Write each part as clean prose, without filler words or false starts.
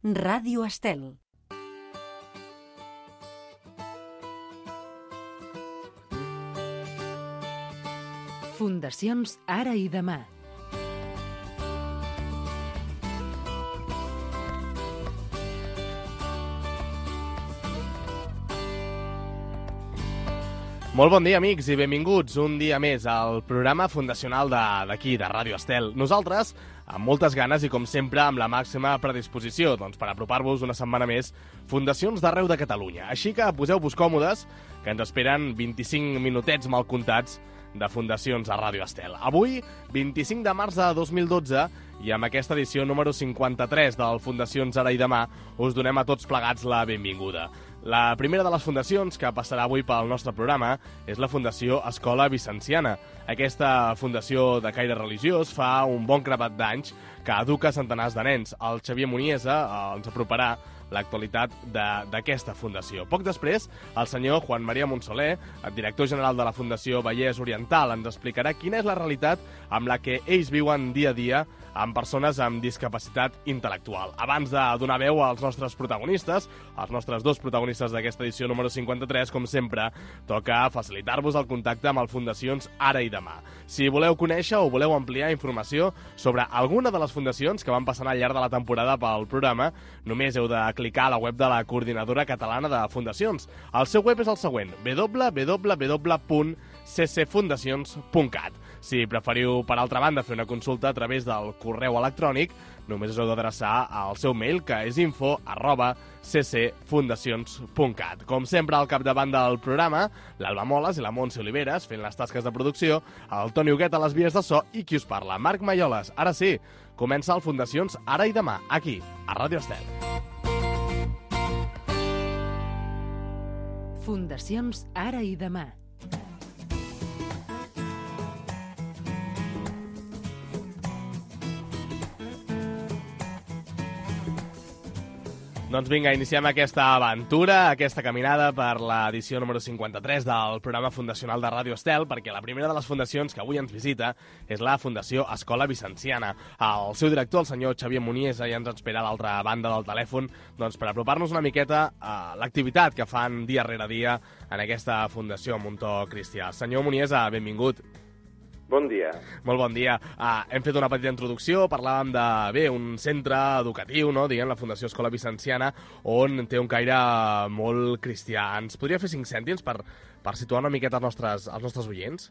Ràdio Estel. Fundacions Ara i Demà. Molt bon dia, amics, i benvinguts un dia més al programa fundacional d'aquí, de Ràdio Estel. Nosaltres, amb moltes ganes i, com sempre, amb la màxima predisposició per apropar-vos una setmana més fundacions d'arreu de Catalunya. Així que poseu-vos còmodes, que ens esperen 25 minutets mal comptats de fundacions a Ràdio Estel. Avui, 25 de març de 2012, i amb aquesta edició número 53 del Fundacions Ara i Demà, us donem a tots plegats la benvinguda. La primera de les fundacions que passarà avui pel nostre programa és la Fundació Escola Vicenciana. Aquesta fundació de caire religiós fa un bon grapat d'anys que educa centenars de nens. El Xavier Muniesa ens aproparà l'actualitat d'aquesta fundació. Poc després, el senyor Juan María Monsoler, el director general de la Fundació Vallès Oriental, ens explicarà quina és la realitat amb la que ells viuen dia a dia amb persones amb discapacitat intel·lectual. Abans de donar veu als nostres protagonistes, els nostres dos protagonistes d'aquesta edició número 53, com sempre, toca facilitar-vos el contacte amb el Fundacions Ara i Demà. Si voleu conèixer o voleu ampliar informació sobre alguna de les fundacions que van passant al llarg de la temporada pel programa, només heu de clicar a la web de la Coordinadora Catalana de Fundacions. El seu web és el següent: www.ccfundacions.cat. Si preferiu, per altra banda, fer una consulta a través del correu electrònic, només us heu d'adreçar al seu mail, que és info@ccfundacions.cat. Com sempre, al capdavant del programa, l'Alba Moles i la Montse Oliveres, fent les tasques de producció, el Toni Huguet a les vies de so i qui us parla, Marc Maioles. Ara sí, comença el Fundacions Ara i Demà, aquí, a Ràdio Estel. Fundacions Ara i Demà. Doncs vinga, iniciem aquesta aventura, aquesta caminada per l'edició número 53 del programa fundacional de Ràdio Estel, perquè la primera de les fundacions que avui ens visita és la Fundació Escola Vicenciana. El seu director, el senyor Xavier Muniesa, ja ens espera a l'altra banda del telèfon per apropar-nos una miqueta a l'activitat que fan dia rere dia en aquesta fundació amb un to cristià. Senyor Muniesa, benvingut. Bon dia. Molt bon dia. Hem fet una petita introducció, parlàvem un centre educatiu, no? Diguem, la Fundació Escola Vicenciana, on té un caire molt cristià. Ens podria fer 5 cèntims per situar una miqueta els nostres oients?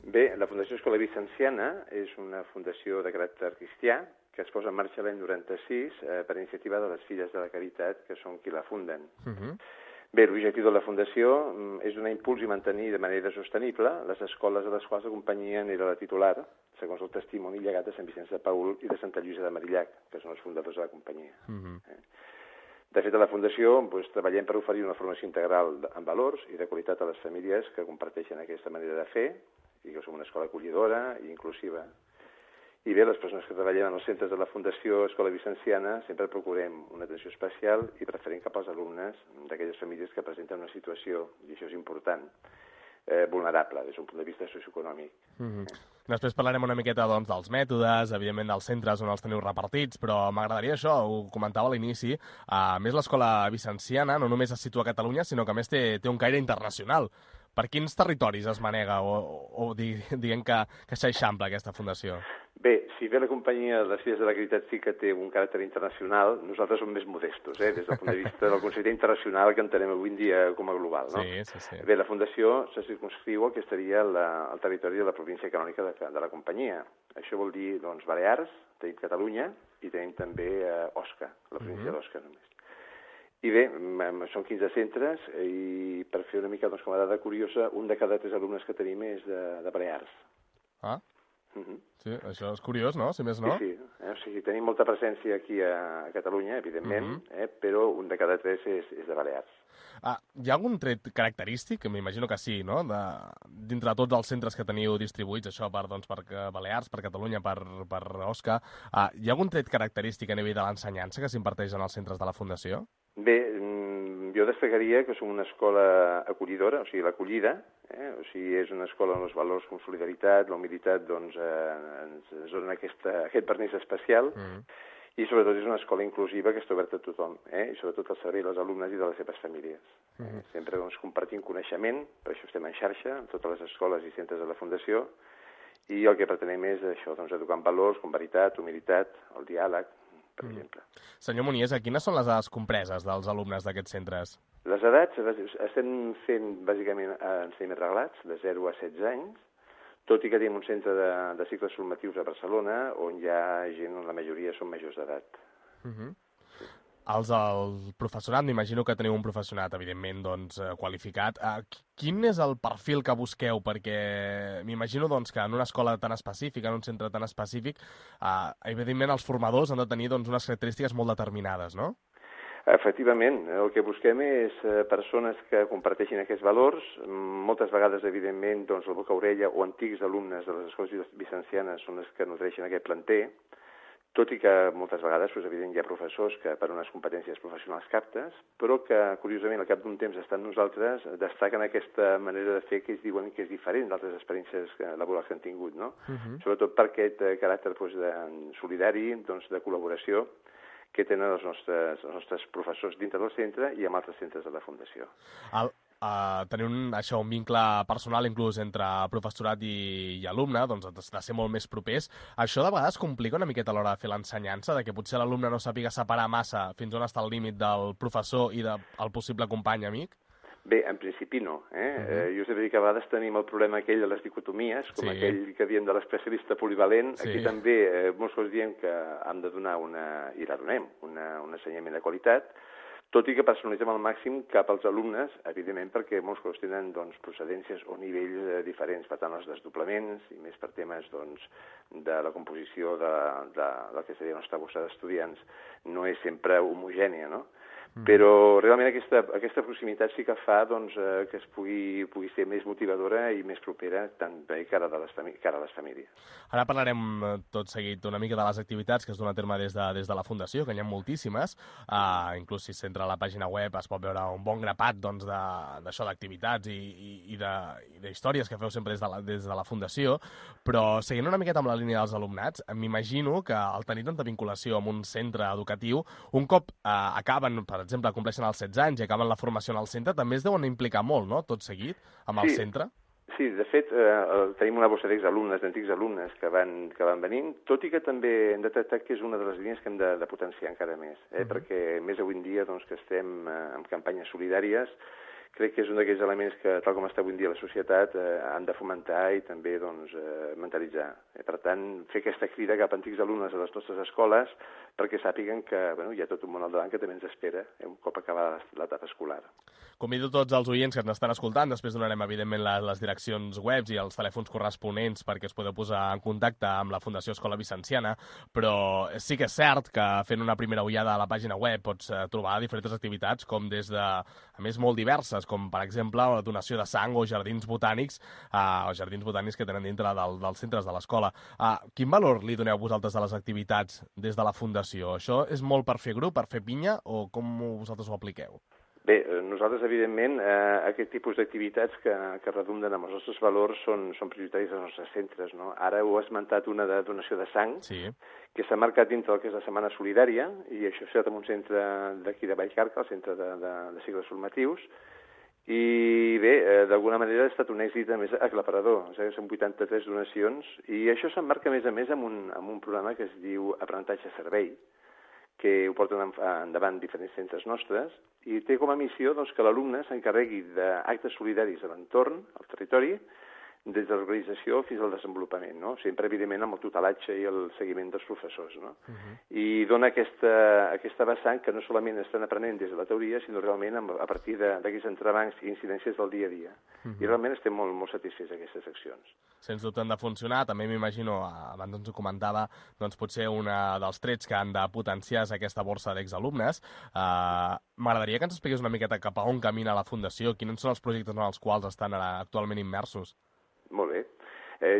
Bé, la Fundació Escola Vicenciana és una fundació de caràcter cristià que es posa en marxa l'any 96 per iniciativa de les Filles de la Caritat, que són qui la funden. Bé, l'objectiu de la Fundació és donar impuls i mantenir de manera sostenible les escoles a les quals la companyia era la titular, segons el testimoni llegat de Sant Vicenç de Paül i de Santa Lluïsa de Marillac, que són els fundadors de la companyia. De fet, a la Fundació treballem per oferir una formació integral en valors i de qualitat a les famílies que comparteixen aquesta manera de fer i que som una escola acollidora i inclusiva. I bé, les persones que treballem en els centres de la Fundació Escola Vicenciana sempre procurem una atenció especial i preferent cap als alumnes d'aquelles famílies que presenten una situació, i això és important, vulnerable des d'un punt de vista socioeconòmic. Després parlarem una miqueta dels mètodes, evidentment dels centres on els teniu repartits, però m'agradaria això, ho comentava a l'inici, a més l'Escola Vicenciana no només es situa a Catalunya, sinó que a més té un caire internacional. Per quins territoris es manega o diguem que s'eixampla aquesta fundació? Bé, si bé la companyia de les Filles de la Caritat sí que té un caràcter internacional, nosaltres som més modestos, des del punt de vista del concepte internacional que entenem avui en dia com a global, no? Sí. Bé, la fundació se circumscriu al que estaria el territori de la província canònica de la companyia. Això vol dir, Balears, tenim Catalunya i tenim també Osca, la província d'Osca només. I bé, són 15 centres i per fer una mica com a dada curiosa, un de cada 3 alumnes que tenim és de Balears. Sí, això és curiós, no? Si més no. Sí. O sigui, tenim molta presència aquí a Catalunya, evidentment, però un de cada 3 és de Balears. Hi ha algun tret característic? M'imagino que sí, no? Dintre de tots els centres que teniu distribuïts, això per Balears, per Catalunya, per Osca, hi ha algun tret característic a nivell de l'ensenyança que s'imparteix en els centres de la Fundació? Bé, jo destacaria que som una escola acollidora, o sigui, l'acollida, o sigui, és una escola on els valors com solidaritat, la humilitat, ens donen aquest vernís especial, I sobretot és una escola inclusiva que està oberta a tothom, i sobretot al servei dels alumnes i de les seves famílies. Sempre compartint coneixement, per això estem en xarxa, amb totes les escoles i centres de la Fundació, i el que pretenem és això, educar en valors com veritat, humilitat, el diàleg, per exemple. Senyor Muniesa, quines són les edats compreses dels alumnes d'aquests centres? Les edats, estem fent bàsicament ensenyaments reglats, de 0 a 16 anys, tot i que tenim un centre de cicles formatius a Barcelona, on hi ha gent, on la majoria són majors d'edat. El professorat, m'imagino que teniu un professorat, evidentment, doncs, qualificat. Quin és el perfil que busqueu? Perquè m'imagino doncs, que en una escola tan específica, en un centre tan específic, evidentment els formadors han de tenir doncs, unes característiques molt determinades, no? Efectivament, el que busquem és persones que comparteixin aquests valors. Moltes vegades, evidentment, doncs, el boca-orella o antics alumnes de les escoles vicencianes són els que nodreixen aquest planter, tot i que moltes vegades, evidentment, hi ha professors que per unes competències professionals captes, però que, curiosament, al cap d'un temps estan nosaltres, destaquen aquesta manera de fer que ells diuen que és diferent d'altres experiències laborals que han tingut, no? Sobretot per aquest caràcter solidari, de col·laboració, que tenen els nostres professors dintre del centre i amb altres centres de la Fundació. Tenir un vincle personal inclús entre professorat i alumne, doncs de ser molt més propers. Això de vegades complica una miqueta a l'hora de fer l'ensenyança, de que potser l'alumne no sàpiga separar massa fins on està el límit del professor i del possible company amic? Bé, en principi no. Jo us he de dir que a vegades tenim el problema aquell de les dicotomies, com aquell que diem de l'especialista polivalent. Aquí també molts cops diem que hem de donar i la donem, un ensenyament de qualitat, tot i que personalitzem al màxim cap als alumnes, evidentment, perquè molts cops tenen procedències o nivells diferents. Per tant, els desdoblaments, i més per temes de la composició del que seria la nostra bossa d'estudiants, no és sempre homogènia, no? Però realment aquesta proximitat sí que fa que es pugui ser més motivadora i més propera també cara a les famílies. Ara parlarem tot seguit una mica de les activitats que es donen a terme des de la Fundació, que n'hi ha moltíssimes. Inclús si s'entra a la pàgina web es pot veure un bon grapat d'això d'activitats i d'històries que feu sempre des de la Fundació, però seguint una miqueta amb la línia dels alumnats, m'imagino que al tenir tanta vinculació amb un centre educatiu, un cop acaben, per exemple, compleixen els 16 anys i acaben la formació en el centre, també es deuen implicar molt, no?, tot seguit, amb el centre? Sí, de fet, tenim una bossa d'exalumnes, d'antics alumnes que van venint, tot i que també hem detectat que és una de les línies que hem de potenciar encara més, perquè més avui en dia que estem en campanyes solidàries, crec que és un d'aquells elements que, tal com està avui en dia la societat, han de fomentar i també mentalitzar. Per tant, fer aquesta crida cap a antics alumnes a les nostres escoles perquè sàpiguen que hi ha tot un món al davant que també ens espera un cop acabada l'etapa escolar. Convido tots els oients que ens estan escoltant, després donarem, evidentment, les direccions webs i els telèfons corresponents perquè es podeu posar en contacte amb la Fundació Escola Vicenciana, però sí que és cert que fent una primera ullada a la pàgina web pots trobar diferents activitats, com des de, a més, molt diverses, com per exemple la donació de sang o jardins botànics que tenen dintre dels centres de l'escola. Quin valor li doneu vosaltres a les activitats des de la Fundació? Això és molt per fer grup, per fer pinya, o com vosaltres ho apliqueu? Bé, nosaltres, evidentment, aquest tipus d'activitats que redunden amb els nostres valors són prioritaris dels nostres centres, no? Ara heu esmentat una de donació de sang, que s'ha marcat dintre del que és la Setmana Solidària, i això s'ha fet en un centre d'aquí de Vallcarca, el centre de cicles formatius, i bé, d'alguna manera ha estat un èxit a més aclaparador, són 83 donacions, i això s'emmarca a més amb un programa que es diu Aprenentatge-Servei, que ho porten endavant diferents centres nostres, i té com a missió que l'alumne s'encarregui d'actes solidaris a l'entorn, al territori, des de l'organització fins al desenvolupament, no? Sempre, evidentment, amb el tutelatge i el seguiment dels professors, no? I dona aquesta vessant que no solament estan aprenent des de la teoria, sinó realment a partir d'aquests entrebancs i incidències del dia a dia. I realment estem molt, molt satisfets d'aquestes accions. Sens dubte han de funcionar. També m'imagino, abans ens ho comentava, doncs potser un dels trets que han de potenciar és aquesta borsa d'exalumnes. M'agradaria que ens expliqués una miqueta cap a on camina la Fundació, quins són els projectes en els quals estan actualment immersos. Molt bé.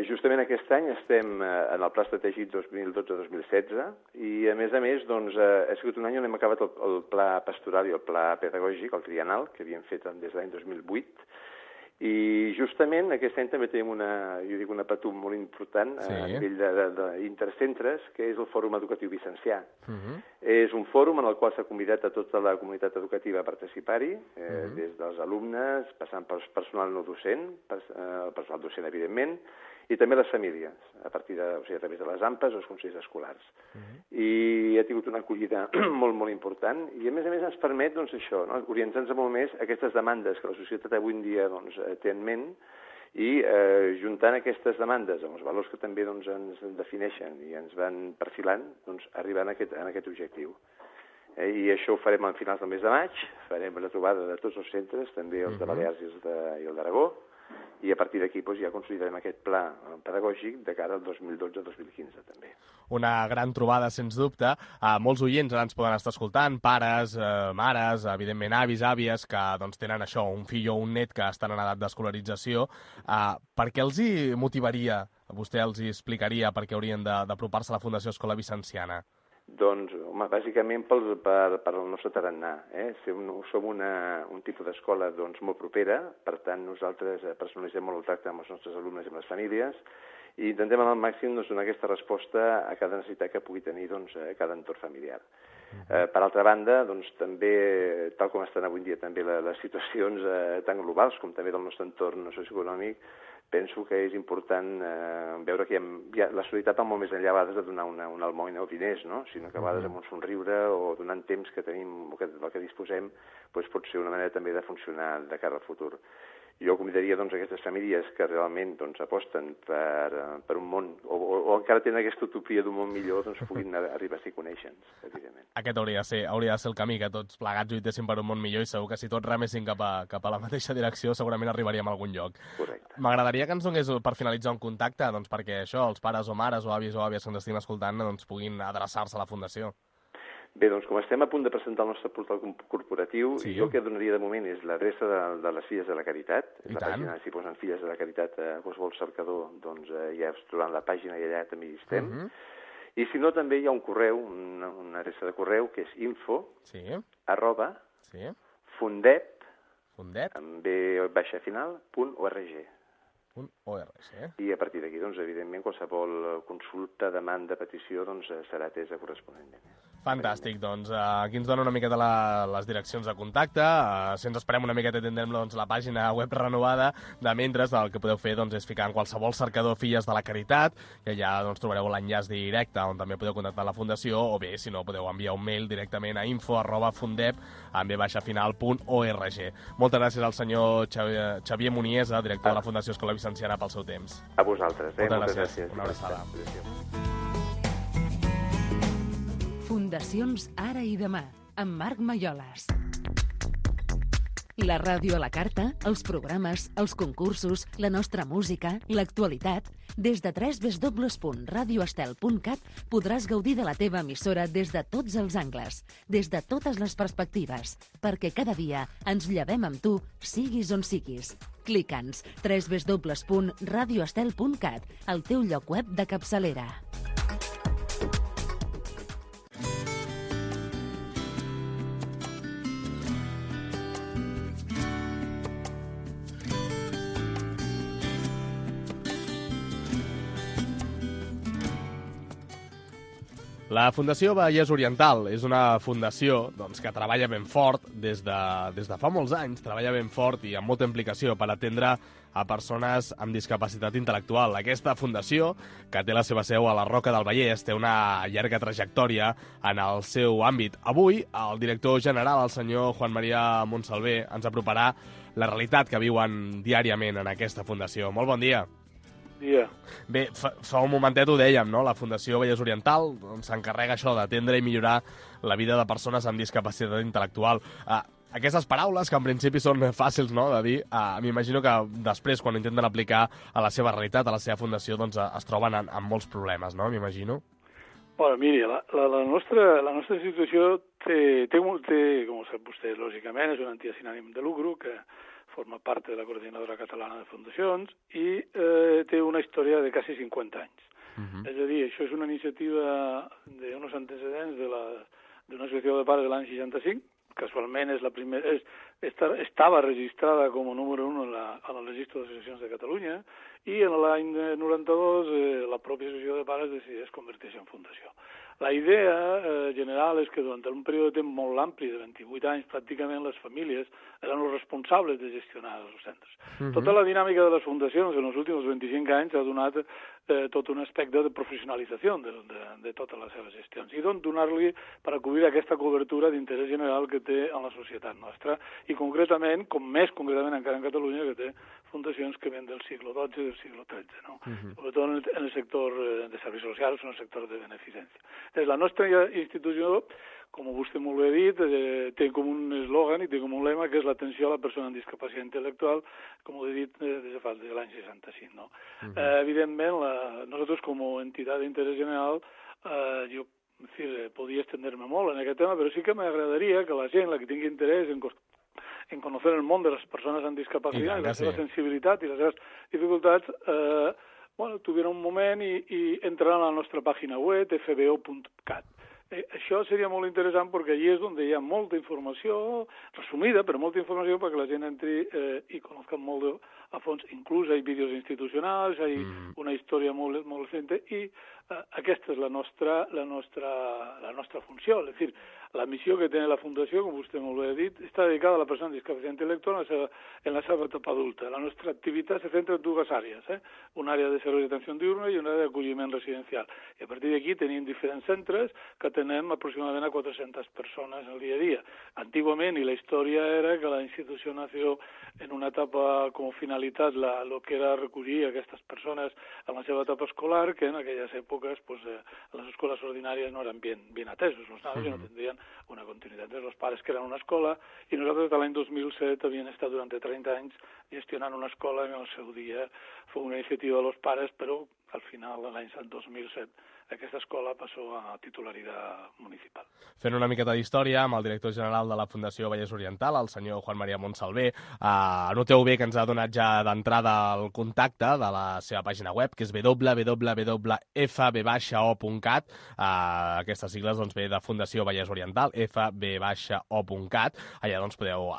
Justament aquest any estem en el Pla Estratègic 2012-2016 i, a més, ha sigut un any on hem acabat el Pla Pastoral i el Pla Pedagògic, el triennal, que havíem fet des de l'any 2008, I justament aquest any també tenim una patum molt important a nivell d'intercentres, que és el Fòrum Educatiu Vicencià. És un fòrum en el qual s'ha convidat a tota la comunitat educativa a participar-hi, des dels alumnes, passant pel personal no docent, el personal docent, evidentment, i també les famílies, a través de les AMPAs o els consells escolars. I ha tingut una acollida molt, molt important, i a més ens permet, doncs, això, orientar-nos molt més a aquestes demandes que la societat avui en dia té en ment, i juntant aquestes demandes amb els valors que també ens defineixen i ens van perfilant, arribar a aquest objectiu. I això ho farem a finals del mes de maig, farem la trobada de tots els centres, també els de Balears i el d'Aragó, i a partir d'aquí ja consolidarem aquest pla pedagògic de cara al 2012-2015 també. Una gran trobada, sens dubte. Molts oients ara ens poden estar escoltant, pares, mares, evidentment avis, àvies, que tenen això, un fill o un net que estan en edat d'escolarització. Per què els hi motivaria, vostè els hi explicaria per què haurien d'apropar-se a la Fundació Escola Vicenciana? Doncs, home, bàsicament per el nostre tarannà. Som un tipus d'escola molt propera, per tant nosaltres personalitzem molt el tracte amb els nostres alumnes i amb les famílies i intentem al màxim donar aquesta resposta a cada necessitat que pugui tenir cada entorn familiar. Per altra banda, també, tal com estan avui en dia també les situacions tan globals com també del nostre entorn socioeconòmic, penso que és important veure que la solidaritat va molt més enllà a vegades de donar una almoina o diners, sinó que a vegades amb un somriure o donant temps que tenim o del que disposem pot ser una manera també de funcionar de cara al futur. Jo convidaria aquestes famílies que realment aposten per un món o encara tenen aquesta utopia d'un món millor, puguin arribar a ser conèixer-nos, evidentment. Aquest hauria de ser el camí, que tots plegats lluitessin per un món millor i segur que si tots remessin cap a la mateixa direcció segurament arribaríem a algun lloc. Correcte. M'agradaria que ens donés per finalitzar un contacte perquè això, els pares o mares o avis o àvies que ens estiguin escoltant puguin adreçar-se a la Fundació. Bé, com estem a punt de presentar el nostre portal corporatiu, jo el que donaria de moment és l'adreça de les Filles de la Caritat. La pàgina, si posen Filles de la Caritat a qualsevol cercador, ja es trobaran la pàgina i allà també hi estem. I si no, també hi ha un correu, una adreça de correu, que és info@fundep, amb b-final.org. I a partir d'aquí, evidentment, qualsevol consulta, demanda, petició, serà atesa corresponentment. Fantàstic, aquí ens dona una miqueta les direccions de contacte, si ens esperem una miqueta tindrem la pàgina web renovada, de mentre el que podeu fer és ficar en qualsevol cercador Filles de la Caritat, i allà trobareu l'enllaç directe on també podeu contactar la Fundació, o bé, si no, podeu enviar un mail directament a info@fundep amb b-final.org. Moltes gràcies al senyor Xavier Muniesa, director de la Fundació Escola Vicenciana, pel seu temps. A vosaltres. Moltes gràcies. Una abraçada. Fundacions Ara i Demà, amb Marc Maiolas. La ràdio a la carta, els programes, els concursos, la nostra música, l'actualitat. Des de www.radioestel.cat podràs gaudir de la teva emissora des de tots els angles, des de totes les perspectives, perquè cada dia ens llevem amb tu, siguis on siguis. Clica'ns www.radioestel.cat, el teu lloc web de capçalera. La Fundació Vallès Oriental és una fundació que treballa ben fort des de fa molts anys, treballa ben fort i amb molta implicació per atendre a persones amb discapacitat intel·lectual. Aquesta fundació, que té la seva seu a la Roca del Vallès, té una llarga trajectòria en el seu àmbit. Avui, el director general, el senyor Juan María Montsalvé, ens aproparà la realitat que viuen diàriament en aquesta fundació. Molt bon dia. Bé, fa un momentet ho dèiem, no? La Fundació Vallès Oriental s'encarrega això d'atendre i millorar la vida de persones amb discapacitat intel·lectual. Aquestes paraules, que en principi són fàcils, no?, de dir, m'imagino que després, quan ho intenten aplicar a la seva realitat, a la seva fundació, es troben amb molts problemes, no?, m'imagino. Bueno, miri, la nostra institució té, com sap vostè, lògicament, és una entitat sin ànim de lucro que forma part de la Coordinadora Catalana de Fundacions i té una història de quasi 50 anys. És a dir, això és una iniciativa d'uns antecedents d'una associació de pares de l'any 65, casualment és la primera, estava registrada com a número 1 en el registre d'associacions de Catalunya, i en l'any 92 la pròpia associació de pares decideix convertir-se en fundació. La idea general és que durant un període de temps molt ampli, de 28 anys, pràcticament les famílies eren els responsables de gestionar els centres. Tota la dinàmica de les fundacions en els últims 25 anys ha donat tot un aspecte de professionalització de totes les seves gestions i donar-li per acudir a aquesta cobertura d'interès general que té en la societat nostra i concretament, com més concretament encara en Catalunya, que té fundacions que ven del segle XII i del segle XIII, no? Sobretot en el sector de serveis socials o en el sector de beneficència. La nostra institució, com vostè molt bé ha dit, té com un eslògan i té com un lema que és l'atenció a la persona amb discapacitat intel·lectual, com ho he dit des de l'any 65. No? Evidentment, nosaltres com a entitat d'interès general, jo podria estendre-me molt en aquest tema, però sí que m'agradaria que la gent, la que tingui interès en conèixer el món de les persones amb discapacitat, i la seva sensibilitat i les seves dificultats, tuviera un moment i entrar a la nostra pàgina web, fbo.cat. Això seria molt interessant perquè allí és on hi ha molta informació, resumida, però molta informació perquè la gent entri i conozca molt a fons. Inclús hi ha vídeos institucionals, hi ha una història molt recent i aquesta és la nostra funció. És a dir, la missió que té la Fundació, com vostè molt bé ha dit, està dedicada a la persona amb discapacitat intel·lectual en la seva etapa adulta. La nostra activitat se centra en dues àrees, una àrea de serveis d'atenció diurna i una àrea d'acolliment residencial. I a partir d'aquí tenim diferents centres que atenem aproximadament a 400 persones al dia a dia. Antigament, i la història era que la institució nació en una etapa com a finalitat el que era recollir aquestes persones en la seva etapa escolar, que en aquelles èpoques les escoles ordinàries no eren ben atesos, els nanos no tindrien una continuïtat. Els pares que eren una escola i nosaltres de l'any 2007 havíem estat durant 30 anys gestionant una escola que en el seu dia fou una iniciativa dels pares, però al final de l'any 2007 aquesta escola passó a titularitat municipal. Fent una miqueta d'història amb el director general de la Fundació Vallès Oriental, el senyor Juan María Montsalvé, noteu bé que ens ha donat ja d'entrada el contacte de la seva pàgina web, que és www.fb-o.cat. Aquestes sigles ve de Fundació Vallès Oriental, fb-o.cat. Allà podeu,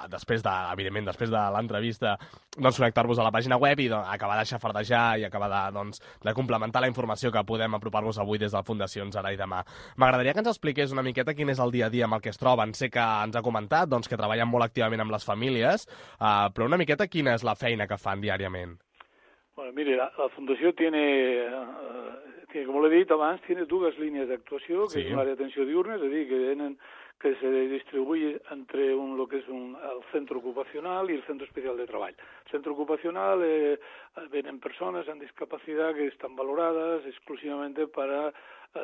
evidentment, després de l'entrevista, connectar-vos a la pàgina web i acabar de xafardejar i acabar de complementar la informació que podem apropar-vos avui des de Fundacions Ara i Demà. M'agradaria que ens expliqués una miqueta quin és el dia a dia amb el que es troben. Sé que ens ha comentat que treballen molt activament amb les famílies, però una miqueta quina és la feina que fan diàriament? Bueno, mire, la Fundació tiene, como le he dit abans, tiene dues línies d'actuació, que és una àrea d'atenció diurna, és a dir, que se distribuye entre lo que es el centro ocupacional y el centro especial de treball. El centro ocupacional vienen personas amb discapacitat que estan valorades exclusivamente para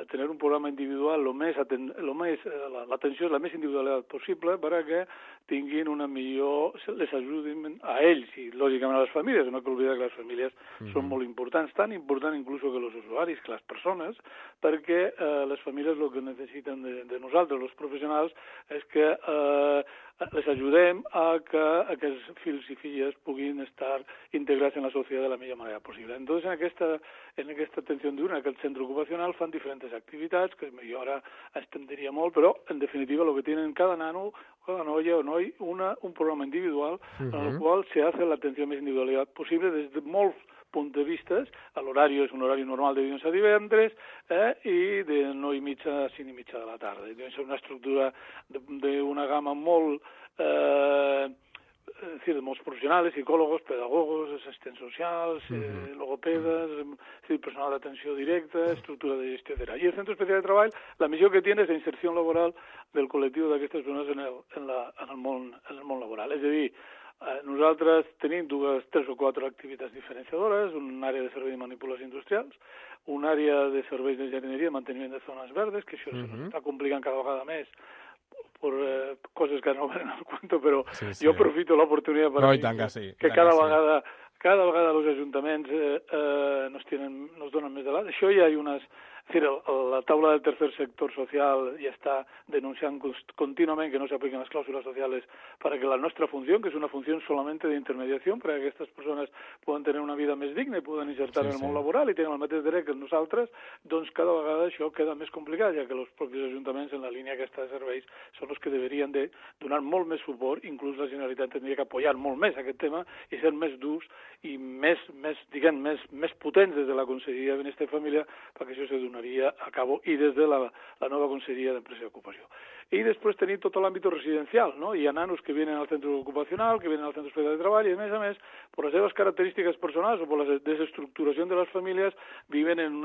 tener un programa individual l'atenció és la més individual possible perquè tinguin una millor, les ajudin a ells i lògicament a les famílies, no cal oblidar que les famílies són molt importants, tan important inclús que els usuaris, que les persones, perquè les famílies el que necessiten de nosaltres, els professionals, és que les ajudem a que aquests fills i filles puguin estar integrats en la societat de la millor manera possible. Entonces, en aquesta atenció diurna, en aquest centre ocupacional, fan diferents activitats, que jo ara estendria molt, però, en definitiva, el que tenen cada nano, cada noia o noi, un programa individual en el qual se hace la atenció més individual possible des de molts punts de vista. L'horari és un horari normal de dilluns a divendres i de 9:30 a 5:30 de la tarda. És una estructura d'una gamma molt de molts professionals, psicòlegs, pedagogos, assistents socials, logopedes, personal d'atenció directa, estructura de gestió, etc. I el Centre Especial de Treball, la missió que té és la inserció laboral del col·lectiu d'aquestes persones en el món laboral. És a dir, nosaltres tenim 3 o 4 activitats diferenciadores, una àrea de serveis de manipulació industrials, una àrea de serveis de jardineria, manteniment de zones verdes, que això s'està complicant cada vegada més per coses que no venen al cuento, però jo aprofito l'oportunitat per dir que cada vegada els ajuntaments nos donen més de l'alt. Això hi ha unes És a dir, la taula del tercer sector social ja està denunciant contínuament que no s'apliquen les clàusules sociales para que la nostra funció, que és una funció solamente de intermediación, para que aquestes persones poden tenir una vida més digna i poden insertar en el món laboral i tenen el mateix dret que nosaltres, doncs cada vegada això queda més complicat, ja que els propis ajuntaments en la línia aquesta de serveis són els que deberien de donar molt més suport, inclús la Generalitat tindria que apoyar molt més aquest tema i ser més durs i més potents des de la Conselleria de Benestar i Família perquè això se donaria a cabo i des de la nova Conselleria d'Empresa i Ocupació. I després tenir tot l'àmbit residencial, ¿no? Hi ha nanos que vienen al centre ocupacional, que vienen al centre especial de treball i, a més, per les seves característiques personals o per la desestructuració de les famílies, viven en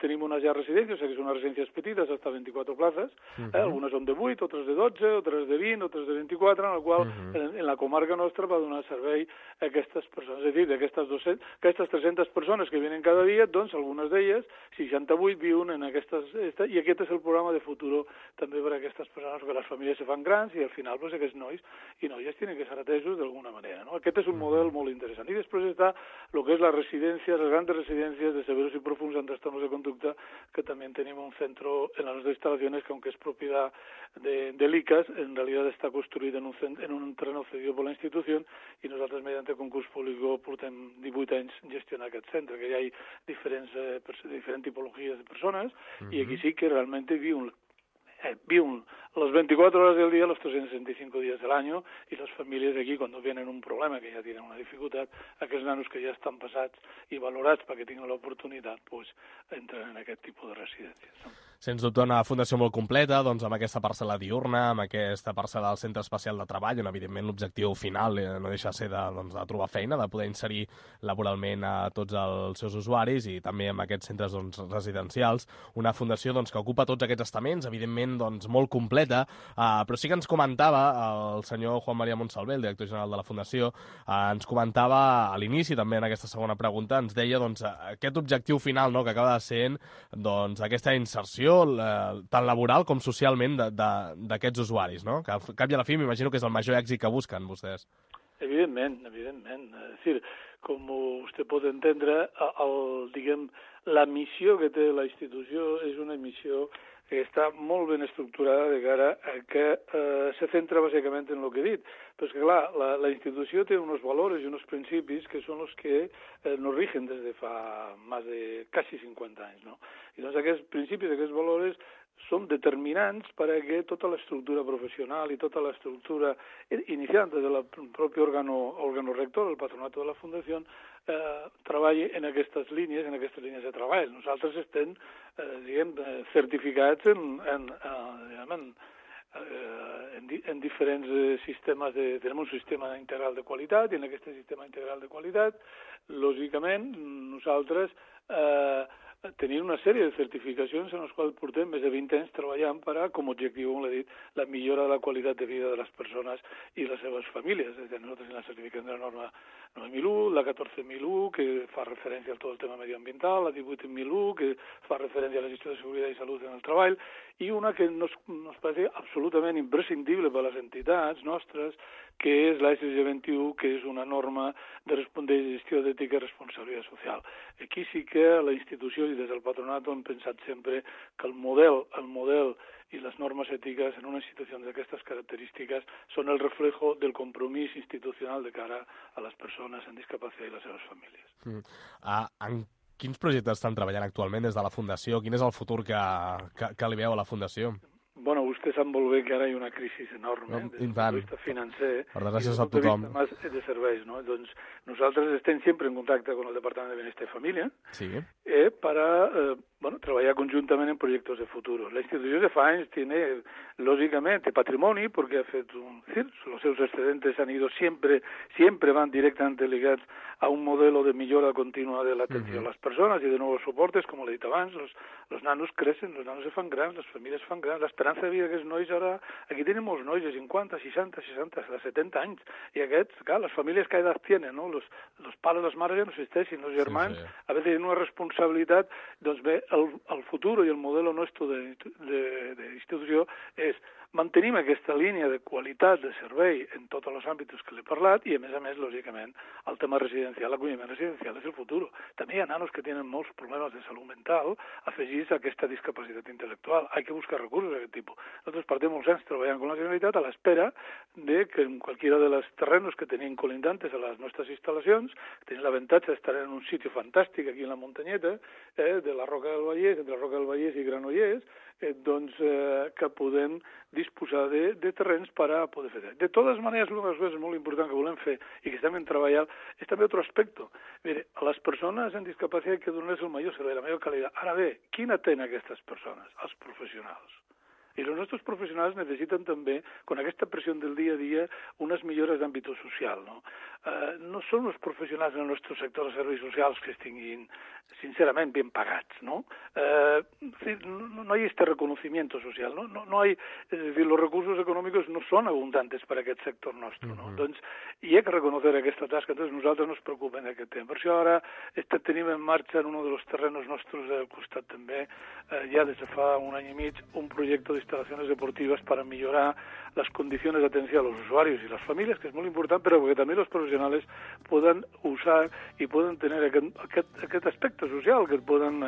tenim unes ja residències, o sigui que són unes residències petites, hasta 24 places, algunes són de 8, altres de 12, altres de 20, altres de 24, en la qual en la comarca nostra va donar servei a aquestes persones. És a dir, d'aquestes 300 persones que vienen cada dia, doncs algunes d'elles, 68, viuen en aquestes... I aquest és el programa de Futuro també per a aquestes persones, que les famílies se fan grans i al final pues, aquests nois i noies tenen que ser atesos d'alguna manera. No? Aquest és un model molt interessant. I després està el que és la residència, les grans residències de severos i profunds en trastornos de conducta, que també tenim un centro en les nostres instal·lacions que, aunque és propietat de l'ICAS, en realitat està construït en un terreno cedido per la institució i nosaltres, mediante concurs públic, portem 18 anys gestionar aquest centre, que hi ha diferents tipologies de persones i aquí sí que realment viuen las 24 horas del día, los 365 días del año, y las familias aquí, cuando vienen un problema, que ja tenen una dificultat, aquests nanos que ja estan passats i valorats perquè tinguin l'oportunitat, pues, entren en aquest tipus de residències. No? Sens dubte una fundació molt completa, doncs amb aquesta parcel·la diurna, amb aquesta parcel·la del Centre Especial de Treball, on evidentment l'objectiu final no deixa de ser de trobar feina, de poder inserir laboralment a tots els seus usuaris i també amb aquests centres residencials. Una fundació que ocupa tots aquests estaments, evidentment molt completa, però sí que ens comentava el senyor Juan María Monsalvé, el director general de la Fundació, ens comentava a l'inici, també en aquesta segona pregunta, ens deia aquest objectiu final que acaba de ser aquesta inserció tant laboral com socialment d'aquests usuaris, no? Que al cap i a la fi m'imagino que és el major èxit que busquen vostès. Evidentment. És dir, com vostè pot entendre, la missió que té la institució és una missió que està molt ben estructurada de cara a que se centra bàsicament en el que he dit. Però és que, clar, la institució té uns valors i uns principis que són els que nos rigen des de fa més de quasi 50 anys, no? I doncs aquests principis, aquests valors són determinants perquè tota l'estructura professional i tota l'estructura inicial des del propi òrgano rector, el patronato de la Fundació, treballi en aquestes línies de treball. Nosaltres estem, certificats en diferents sistemes. Tenim un sistema integral de qualitat i en aquest sistema integral de qualitat, lògicament, nosaltres tenim una sèrie de certificacions en les quals portem més de 20 anys treballant per a, com a objectiu, com l'he dit, la millora de la qualitat de vida de les persones i les seves famílies. Nosaltres la certificació de la norma 9.001, la 14.001, que fa referència a tot el tema medioambiental, la 18.001, que fa referència a la gestió de seguretat i salut en el treball, i una que nos parece absolutament imprescindible per a les entitats nostres, que és la SG 21, que és una norma de gestió d'ètica i responsabilitat social. Aquí sí que la institució i des del patronat hem pensat sempre que el model i les normes ètiques en una institució d'aquestes característiques són el reflejo del compromís institucional de cara a les persones amb discapacitat i les seves famílies. En quins projectes estan treballant actualment des de la Fundació? Quin és el futur que li veu a la Fundació? Bueno, vostè sap molt bé que ara hi ha una crisi enorme des del punt de vista financer per desgràcia i des del punt de vista de serveis, no? Doncs nosaltres estem sempre en contacte con el Departament de Benestar i Família para trabajar conjuntamente en proyectos de futuro. La institución de FAENS tiene, lógicamente, patrimonio, porque ha fet los seus excedentes han ido siempre van directamente ligados a un modelo de millora continua de la atención a las personas y de nuevos soportes, como le he dit abans, los nanos crecen, los nanos se fan grans, les famílies fan grans, l'esperança de vida d'aquests nois ara, aquí tenim molts nois de 50, 60, 70 anys, i aquests, clar, les famílies que edat tenen, no? Los pares, les mares ja no existeixen, els germans, a veure, tenen una responsabilitat, doncs bé, el futur i el model nostre d'institució és mantenim aquesta línia de qualitat de servei en tots els àmbits que l'he parlat i, a més, lògicament, el tema residencial, l'acolliment residencial és el futur. També hi ha nanos que tenen molts problemes de salut mental afegits a aquesta discapacitat intel·lectual. Hay que buscar recursos d'aquest tipus. Nosaltres portem molts anys treballant amb la Generalitat a l'espera de que en qualquiera de los terrenos que tenim colindantes a les nostres instal·lacions, tenim l'avantatge d'estar en un sitio fantàstic aquí en la muntanyeta, de la Roca del Vallès, entre la Roca del Vallès i Granollers, que podem disposar de terrenys per a poder fer. De totes maneres, una de les coses molt importants que volem fer i que estem treballant és també un altre aspecte. Mire, a les persones amb discapacitat que donen el millor servei, la millor qualitat. Ara bé, qui atén aquestes persones? Els professionals. I els nostres professionals necessiten també, con aquesta pressió del dia a dia, unes millores d'àmbit social. No són els professionals del nostre sector de serveis socials que estiguin, sincerament, ben pagats, ¿no? No hay este reconocimiento social, no hay, es decir, los recursos econòmics no són abundantes per a aquest sector nostre, no? Doncs hi ha que reconocer aquesta tasca, entonces nosaltres no ens preocupem d'aquest tema. Per això ara tenim en marxa en un dels terrenos nostres del costat també, ja des de fa un any i mig, un projecte d'instal·lacions deportives per a millorar les condicions d'atenció a los usuarios i les famílies, que és molt important, però que també els professionals poden usar i poden tenir aquest aspecte social, que poden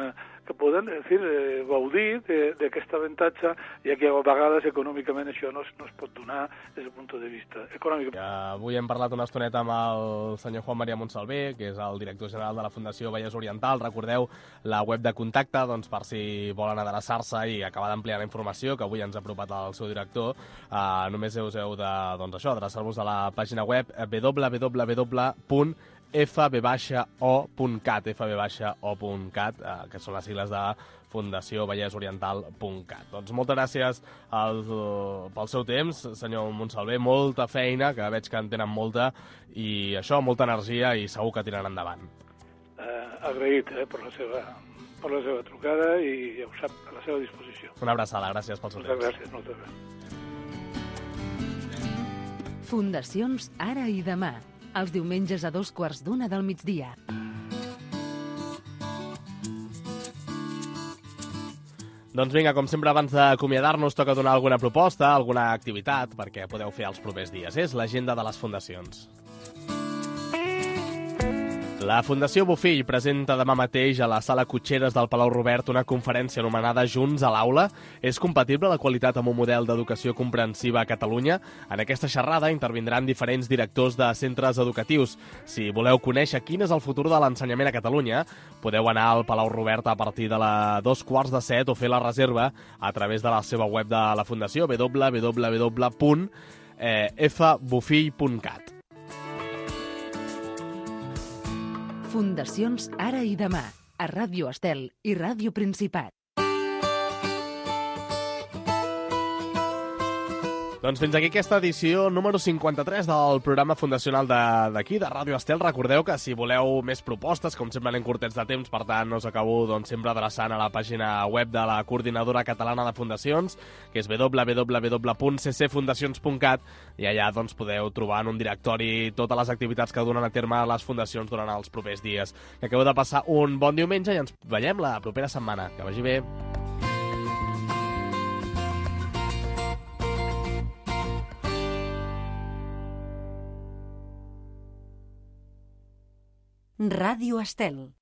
gaudir d'aquest avantatge, ja que a vegades econòmicament això no es pot donar des del punt de vista econòmic. Avui hem parlat una estoneta amb el senyor Juan María Montsalvé, que és el director general de la Fundació Vallès Oriental. Recordeu la web de contacte, doncs, per si volen adreçar-se i acabar d'ampliar la informació, que avui ens ha apropat el seu director. Només heu d'adreçar-vos a la pàgina web www.fb-o.cat, que són les sigles de Fundació Vallès Oriental.cat. Doncs moltes gràcies pel seu temps, senyor Montsalvé, molta feina, que veig que en tenen molta, i això, molta energia, i segur que tiraran endavant. Agraït per la seva trucada i ja ho sap, a la seva disposició. Una abraçada, gràcies pel seu temps. Moltes gràcies. Fundacions Ara i Demà, els diumenges a 14:15 del migdia. Doncs vinga, com sempre, abans d'acomiadar-nos, toca donar alguna proposta, alguna activitat, perquè podeu fer els propers dies. És l'agenda de les fundacions. La Fundació Bofill presenta demà mateix a la Sala Cotxeres del Palau Robert una conferència anomenada Junts a l'aula. És compatible la qualitat amb un model d'educació comprensiva a Catalunya? En aquesta xerrada intervindran diferents directors de centres educatius. Si voleu conèixer quin és el futur de l'ensenyament a Catalunya, podeu anar al Palau Robert a partir de les 6:45 o fer la reserva a través de la seva web de la Fundació, www.fbofill.cat. Fundacions Ara i Demà, a Ràdio Estel i Ràdio Principat. Doncs fins aquí aquesta edició número 53 del programa fundacional d'aquí, de Ràdio Estel. Recordeu que si voleu més propostes, com sempre anem curtets de temps, per tant us acabo sempre adreçant a la pàgina web de la Coordinadora Catalana de Fundacions, que és www.ccfundacions.cat, i allà podeu trobar en un directori totes les activitats que donen a terme les fundacions durant els propers dies. Que acabeu de passar un bon diumenge i ens veiem la propera setmana. Que vagi bé. Ràdio Estel.